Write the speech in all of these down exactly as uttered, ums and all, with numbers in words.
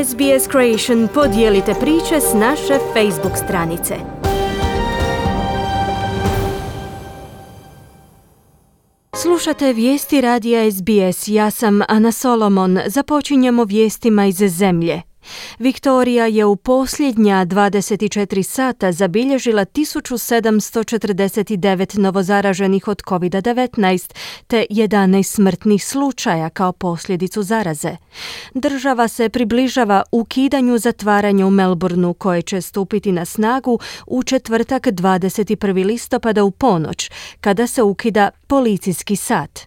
S B S Creation, podijelite priče s naše Facebook stranice. Slušate vijesti radija S B S, ja sam Ana Solomon. Započinjemo vijestima iz zemlje. Viktorija je u posljednja dvadeset četiri sata zabilježila tisuću sedamsto četrdeset devet novozaraženih od covid devetnaest te jedanaest smrtnih slučaja kao posljedicu zaraze. Država se približava ukidanju zatvaranja u Melbourneu koje će stupiti na snagu u četvrtak dvadeset prvog listopada u ponoć, kada se ukida policijski sat.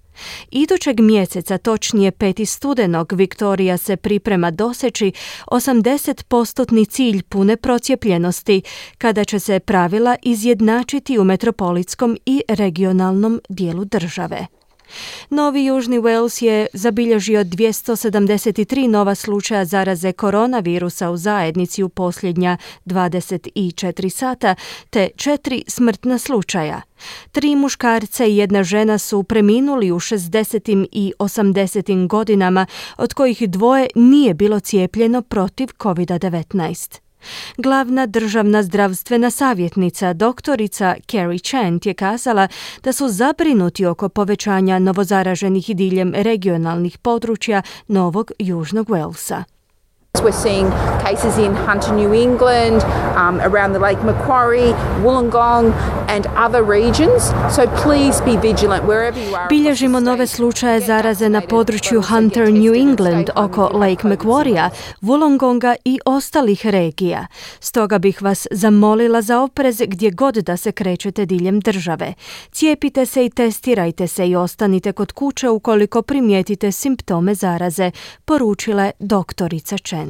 Idućeg mjeseca, točnije petog studenog, Viktorija se priprema doseći osamdeset posto cilj pune procijepljenosti, kada će se pravila izjednačiti u metropolitskom i regionalnom dijelu države. Novi Južni Wales je zabilježio dvjesto sedamdeset tri nova slučaja zaraze koronavirusa u zajednici u posljednja dvadeset četiri sata, te četiri smrtna slučaja. Tri muškarca i jedna žena su preminuli u šezdesetim i osamdesetim godinama, od kojih dvoje nije bilo cijepljeno protiv covid devetnaest. Glavna državna zdravstvena savjetnica, doktorica Kerry Chant, je kazala da su zabrinuti oko povećanja novozaraženih diljem regionalnih područja Novog Južnog Walesa. We're seeing cases in Hunter, New England, um, around the Lake Macquarie, Wollongong and other regions. So please be vigilant wherever you are. Bilježimo nove slučaje zaraze na području Hunter, New England, oko Lake Macquarie, Wollongonga i ostalih regija. Stoga bih vas zamolila za oprez gdje god da se krećete diljem države. Cijepite se i testirajte se i ostanite kod kuće ukoliko primijetite simptome zaraze, poručila je doktorica Chen.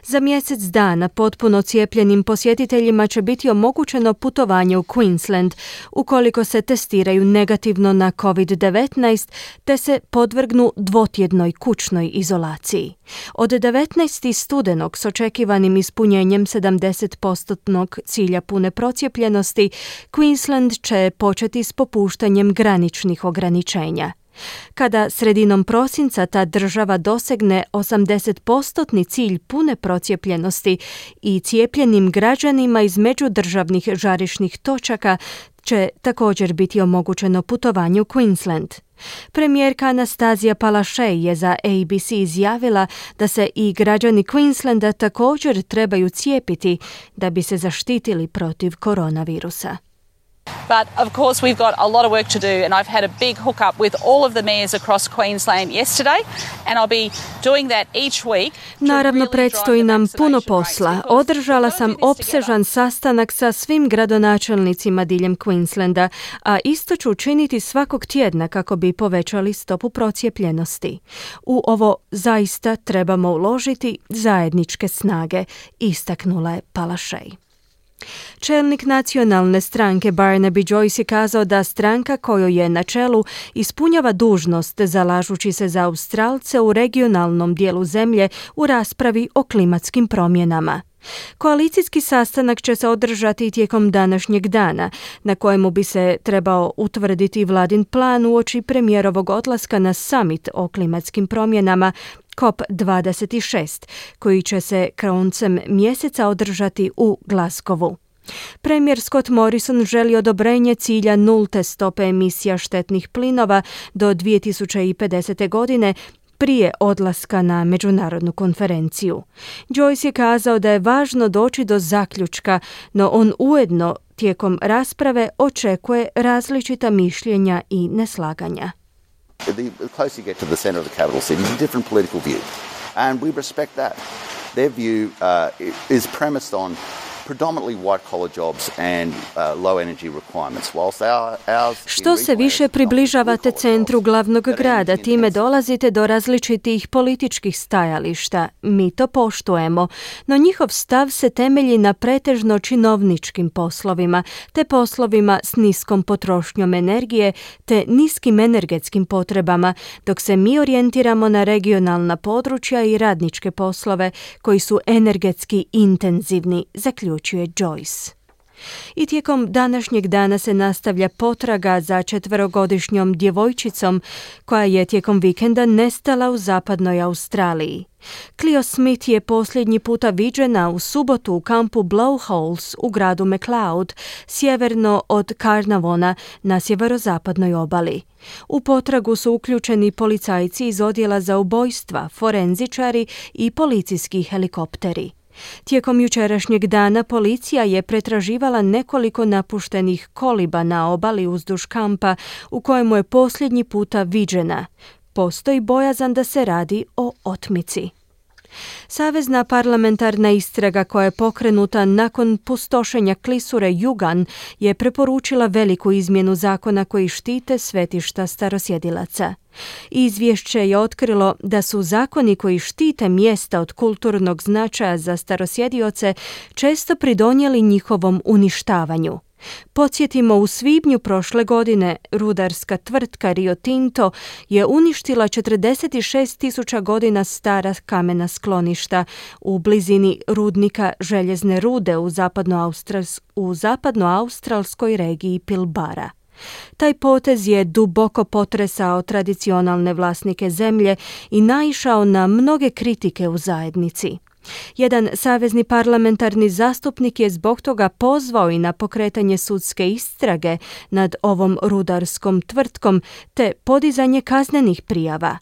Za mjesec dana potpuno cijepljenim posjetiteljima će biti omogućeno putovanje u Queensland ukoliko se testiraju negativno na covid devetnaest te se podvrgnu dvotjednoj kućnoj izolaciji. Od devetnaestog studenog s očekivanim ispunjenjem sedamdeset posto cilja pune procijepljenosti, Queensland će početi s popuštanjem graničnih ograničenja. Kada sredinom prosinca ta država dosegne osamdeset posto cilj pune procijepljenosti i cijepljenim građanima iz međudržavnih žarišnih točaka će također biti omogućeno putovanje u Queensland. Premijerka Anastazija Palaszczuk je za A B C izjavila da se i građani Queenslanda također trebaju cijepiti da bi se zaštitili protiv koronavirusa. But of course we've got a lot of work to do, and I've had a big hookup with all of the mayors across Queensland yesterday, and I'll be doing that each week. Naravno, predstoji nam puno posla. Održala sam opsežan sastanak sa svim gradonačelnicima diljem Queenslanda, a isto ću učiniti svakog tjedna kako bi povećali stopu procijepljenosti. U ovo zaista trebamo uložiti zajedničke snage, istaknula je Palaszczuk. Čelnik nacionalne stranke Barnaby Joyce je kazao da stranka kojoj je na čelu ispunjava dužnost zalažući se za Australce u regionalnom dijelu zemlje u raspravi o klimatskim promjenama. Koalicijski sastanak će se održati tijekom današnjeg dana, na kojemu bi se trebao utvrditi vladin plan uoči premijerovog odlaska na summit o klimatskim promjenama C O P dvadeset šest, koji će se koncem mjeseca održati u Glasgowu. Premijer Scott Morrison želi odobrenje cilja nulte stope emisija štetnih plinova do dvije tisuće pedesete. godine, prije odlaska na međunarodnu konferenciju. Joyce je kazao da je važno doći do zaključka, no on ujedno tijekom rasprave očekuje različita mišljenja i neslaganja. The closer you get to the center of the capital city, it's a different political view, and we respect that. Their view uh, is premised on predominantly white-collar jobs and uh, low-energy requirements, whilst our, ours... Što se više približavate centru glavnog grada, time dolazite do različitih političkih stajališta. Mi to poštujemo, no njihov stav se temelji na pretežno činovničkim poslovima, te poslovima s niskom potrošnjom energije, te niskim energetskim potrebama, dok se mi orijentiramo na regionalna područja i radničke poslove koji su energetski intenzivni, zaključuje Joyce. I tijekom današnjeg dana se nastavlja potraga za četverogodišnjom djevojčicom koja je tijekom vikenda nestala u zapadnoj Australiji. Cleo Smith je posljednji puta viđena u subotu u kampu Blowholes u gradu McLeod, sjeverno od Carnarvona na sjeverozapadnoj obali. U potragu su uključeni policajci iz odjela za ubojstva, forenzičari i policijski helikopteri. Tijekom jučerašnjeg dana policija je pretraživala nekoliko napuštenih koliba na obali uzduž kampa u kojemu je posljednji puta viđena. Postoji bojazan da se radi o otmici. Savezna parlamentarna istraga koja je pokrenuta nakon pustošenja klisure Yugan je preporučila veliku izmjenu zakona koji štite svetišta starosjedilaca. Izvješće je otkrilo da su zakoni koji štite mjesta od kulturnog značaja za starosjedioce često pridonijeli njihovom uništavanju. Podsjetimo, u svibnju prošle godine rudarska tvrtka Rio Tinto je uništila četrdeset šest tisuća godina stara kamena skloništa u blizini rudnika željezne rude u zapadnoaustrals- u zapadnoaustralskoj regiji Pilbara. Taj potez je duboko potresao tradicionalne vlasnike zemlje i naišao na mnoge kritike u zajednici. Jedan savezni parlamentarni zastupnik je zbog toga pozvao i na pokretanje sudske istrage nad ovom rudarskom tvrtkom te podizanje kaznenih prijava.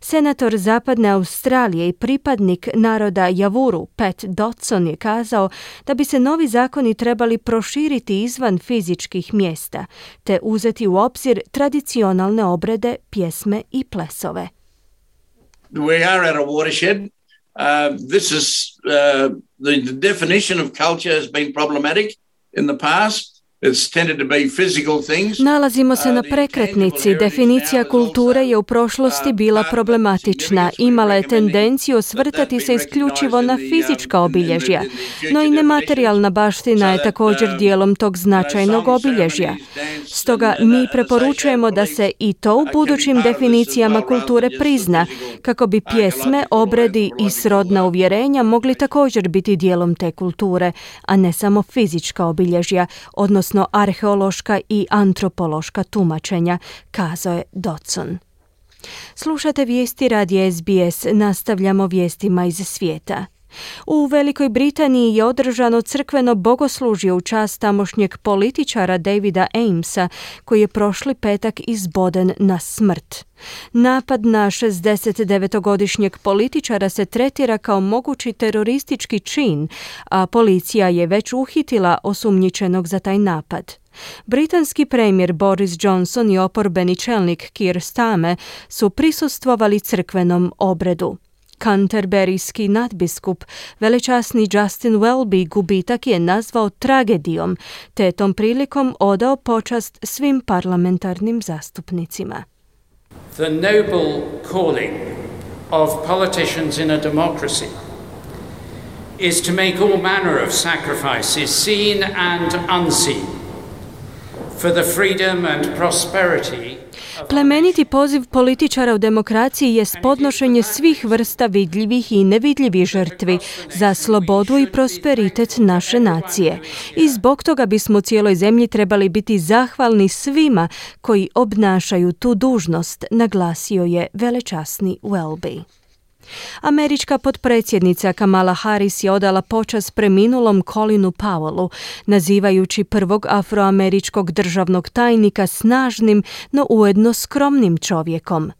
Senator Zapadne Australije i pripadnik naroda Javuru Pat Dodson je kazao da bi se novi zakoni trebali proširiti izvan fizičkih mjesta te uzeti u obzir tradicionalne obrede, pjesme i plesove. We are at a watershed. Uh, this is uh, the, the definition of culture has been problematic in the past. It's tended to be physical things. Nalazimo se na prekretnici. Definicija kulture je u prošlosti bila problematična. Imala je tendenciju osvrtati se isključivo na fizička obilježja, no i nematerijalna baština je također dijelom tog značajnog obilježja. Stoga mi preporučujemo da se i to u budućim definicijama kulture prizna, kako bi pjesme, obredi i srodna uvjerenja mogli također biti dijelom te kulture, a ne samo fizička obilježja, odnosno arheološka i antropološka tumačenja, kazao je Dodson. Slušate vijesti radija S B S, nastavljamo vijestima iz svijeta. U Velikoj Britaniji je održano crkveno bogoslužje u čast tamošnjeg političara Davida Amesa, koji je prošli petak izboden na smrt. Napad na šezdesetdevetogodišnjeg političara se tretira kao mogući teroristički čin, a policija je već uhitila osumnjičenog za taj napad. Britanski premijer Boris Johnson i oporbeni čelnik Keir Starmer su prisustvovali crkvenom obredu. Canterburyski nadbiskup, velečasni Justin Welby, gubitak je nazvao tragedijom, te tom prilikom odao počast svim parlamentarnim zastupnicima. The noble calling of politicians in a democracy is to make all manner of sacrifices, seen and unseen, for the freedom and prosperity. Plemeniti poziv političara u demokraciji je podnošenje svih vrsta vidljivih i nevidljivih žrtvi za slobodu i prosperitet naše nacije. I zbog toga bismo cijeloj zemlji trebali biti zahvalni svima koji obnašaju tu dužnost, naglasio je velečasni Welby. Američka potpredsjednica Kamala Harris je odala počast preminulom Colinu Powellu, nazivajući prvog afroameričkog državnog tajnika snažnim, no ujedno skromnim čovjekom.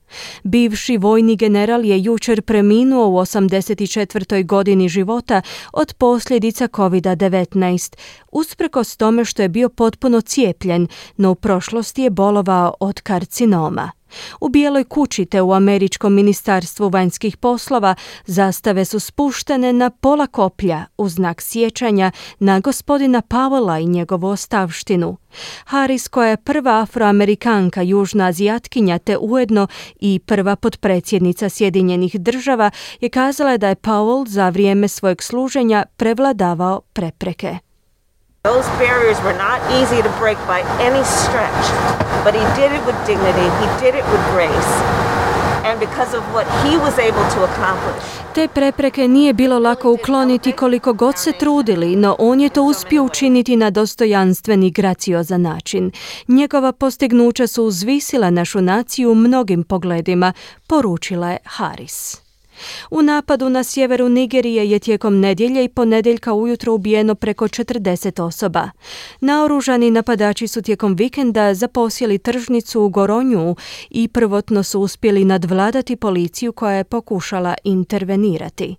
Bivši vojni general je jučer preminuo u osamdeset četvrtoj godini života od posljedica covid devetnaest, usprkos tome što je bio potpuno cijepljen, no u prošlosti je bolovao od karcinoma. U Bijeloj kući te u Američkom ministarstvu vanjskih poslova zastave su spuštene na pola koplja u znak sjećanja na gospodina Powella i njegovu ostavštinu. Harris, koja je prva afroamerikanka južna azijatkinja te ujedno i prva potpredsjednica Sjedinjenih država, je kazala da je Powell za vrijeme svojeg služenja prevladavao prepreke. Those barriers were not easy to break by any stretch, but he did it with dignity, he did it with grace. and because of what he was able to accomplish. Te prepreke nije bilo lako ukloniti koliko god se trudili, no on je to uspio učiniti na dostojanstven i graciozan način. Njegova postignuća su uzvisila našu naciju u mnogim pogledima, poručila je Harris. U napadu na sjeveru Nigerije je tijekom nedjelje i ponedjeljka ujutro ubijeno preko četrdeset osoba. Naoružani napadači su tijekom vikenda zaposjeli tržnicu u Goronju i prvotno su uspjeli nadvladati policiju koja je pokušala intervenirati.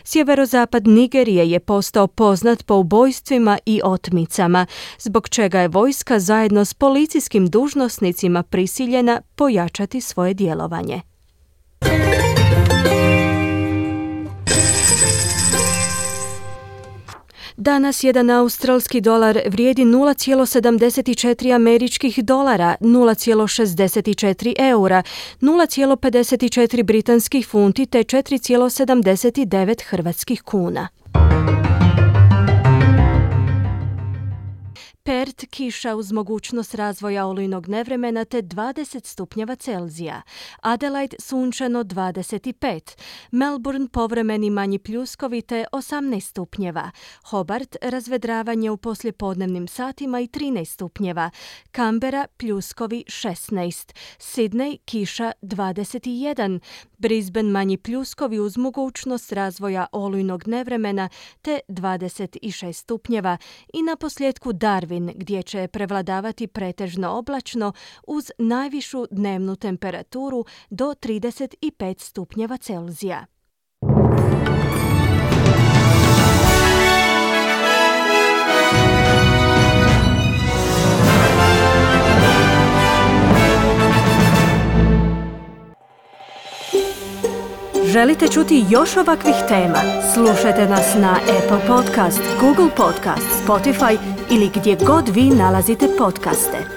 Sjeverozapad Nigerije je postao poznat po ubojstvima i otmicama, zbog čega je vojska zajedno s policijskim dužnosnicima prisiljena pojačati svoje djelovanje. Danas jedan australski dolar vrijedi nula zarez sedamdeset četiri američkih dolara, nula zarez šezdeset četiri eura, nula zarez pedeset četiri britanskih funti te četiri zarez sedamdeset devet hrvatskih kuna. Perth kiša uz mogućnost razvoja olujnog nevremena te dvadeset stupnjeva Celzija. Adelaide sunčano dvadeset pet. Melbourne povremeni manji pljuskovi te osamnaest stupnjeva. Hobart razvedravanje u poslijepodnevnim satima i trinaest stupnjeva. Canberra pljuskovi šesnaest. Sydney kiša dvadeset jedan. Brisbane manji pljuskovi uz mogućnost razvoja olujnog nevremena te dvadeset šest stupnjeva. I na posljedku Darwin, gdje će prevladavati pretežno oblačno uz najvišu dnevnu temperaturu do trideset pet stupnjeva Celzija. Želite čuti još ovakvih tema? Slušajte nas na Apple Podcast, Google Podcast, Spotify ili gdje god vi nalazite podcaste.